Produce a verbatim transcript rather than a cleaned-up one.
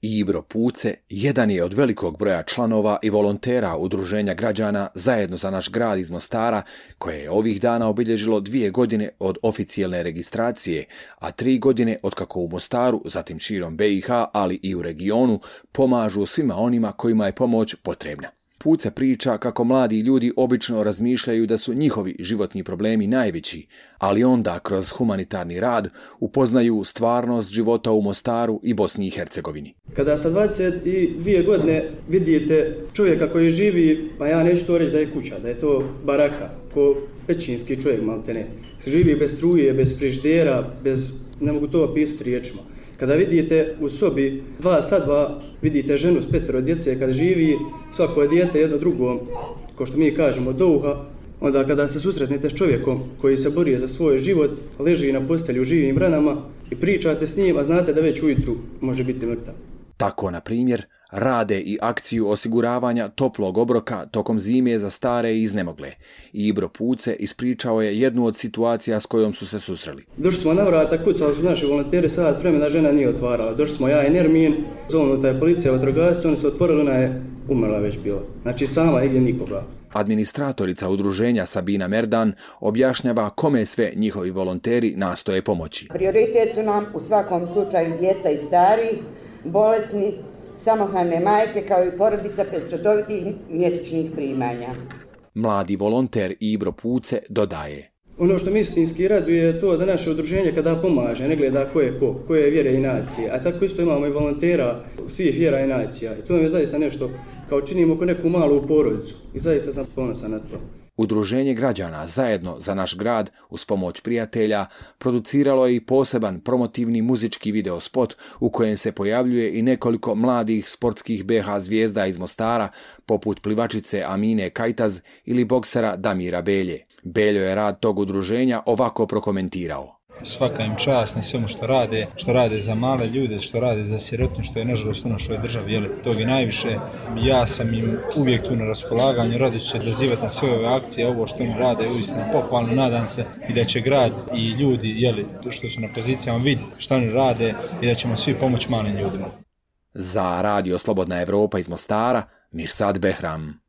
Ibro Puce jedan je od velikog broja članova i volontera Udruženja građana Zajedno za naš grad iz Mostara, koje je ovih dana obilježilo dvije godine od oficijelne registracije, a tri godine od kako u Mostaru, zatim širom B i H, ali i u regionu, pomažu svima onima kojima je pomoć potrebna. Puce priča kako mladi ljudi obično razmišljaju da su njihovi životni problemi najveći, ali onda kroz humanitarni rad upoznaju stvarnost života u Mostaru i Bosni i Hercegovini. Kada sa dvadeset dvije godine vidite čovjeka koji živi, pa ja neću to reći da je kuća, da je to baraka, ko pećinski čovjek maltene, živi bez struje, bez frižidera, bez, ne mogu to opisati riječima. Kada vidite u sobi dva sa dva, vidite ženu s petero djece, kad živi svako je dijete jedno drugom, ko što mi kažemo do uha, onda kada se susretnete s čovjekom koji se bori za svoj život, leži na postelju u živim ranama i pričate s njim, a znate da već ujutru može biti mrtav. Tako, na primjer, rade i akciju osiguravanja toplog obroka tokom zime za stare i iznemogle. Ibro Puce ispričao je jednu od situacija s kojom su se susreli. Došli smo na vrata, kucali su naši volonteri, sat vremena žena nije otvarala. Došli smo ja i Nermin, zovnuta je policija, vatrogasci, oni su otvorili, ona je umrla već bila. Znači sama igdje nikoga. Administratorica udruženja Sabina Merdan objašnjava kome sve njihovi volonteri nastoje pomoći. Prioritet su nam u svakom slučaju djeca i stari, bolesni, samohrane majke kao i porodica bez redovitih mjesečnih primanja. Mladi volonter Ibro Puce dodaje: Ono što mi istinski raduje je to da naše udruženje kada pomaže, ne gleda ko je ko, koje je vjere i nacije, a tako isto imamo i volontera svih vjera i nacija. I to je zaista nešto kao činimo ko neku malu porodicu i zaista sam ponosan na to. Udruženje građana Zajedno za naš grad uz pomoć prijatelja produciralo je i poseban promotivni muzički videospot u kojem se pojavljuje i nekoliko mladih sportskih B H zvijezda iz Mostara, poput plivačice Amine Kajtaz ili boksera Damira Belje. Beljo je rad tog udruženja ovako prokomentirao: Svaka im čast na svemu što rade, što rade za male ljude, što rade za sirotnje, što je nažalost u našoj državi, jel, tog je najviše. Ja sam im uvijek tu na raspolaganju, rado ću se odazivati na sve ove akcije, ovo što oni rade, uistinu pohvalno, nadam se i da će grad i ljudi, jel, što su na pozicijama, vidjeti što oni rade i da ćemo svi pomoći malim ljudima. Za Radio Slobodna Evropa iz Mostara, Mirsad Behram.